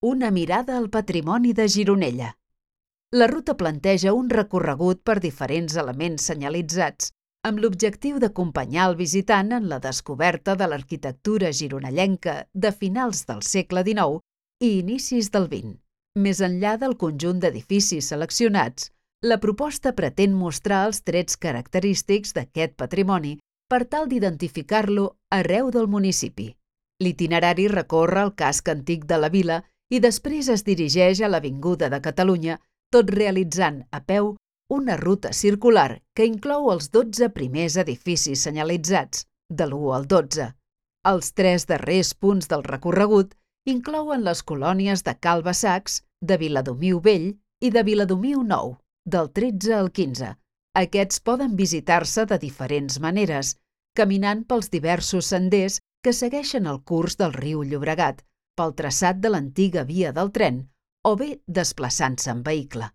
Una mirada al patrimoni de Gironella. La ruta planteja un recorregut per diferents elements senyalitzats, amb l'objectiu d'acompanyar el visitant en la descoberta de l'arquitectura gironellenca de finals del segle XIX i inicis del XX. Més enllà del conjunt d'edificis seleccionats, la proposta pretén mostrar els trets característics d'aquest patrimoni per tal d'identificar-lo arreu del municipi. L'itinerari recorre el casc antic de la vila i després es dirigeix a l'Avinguda de Catalunya, tot realitzant a peu una ruta circular que inclou els 12 primers edificis senyalitzats, de l'1 al 12. Els 3 darrers punts del recorregut inclouen les colònies de Cal Bassacs, de Viladomiu Vell i de Viladomiu Nou, del 13 al 15. Aquests poden visitar-se de diferents maneres, caminant pels diversos senders que segueixen el curs del riu Llobregat, pel traçat de l'antiga via del tren o bé desplaçant-se en vehicle.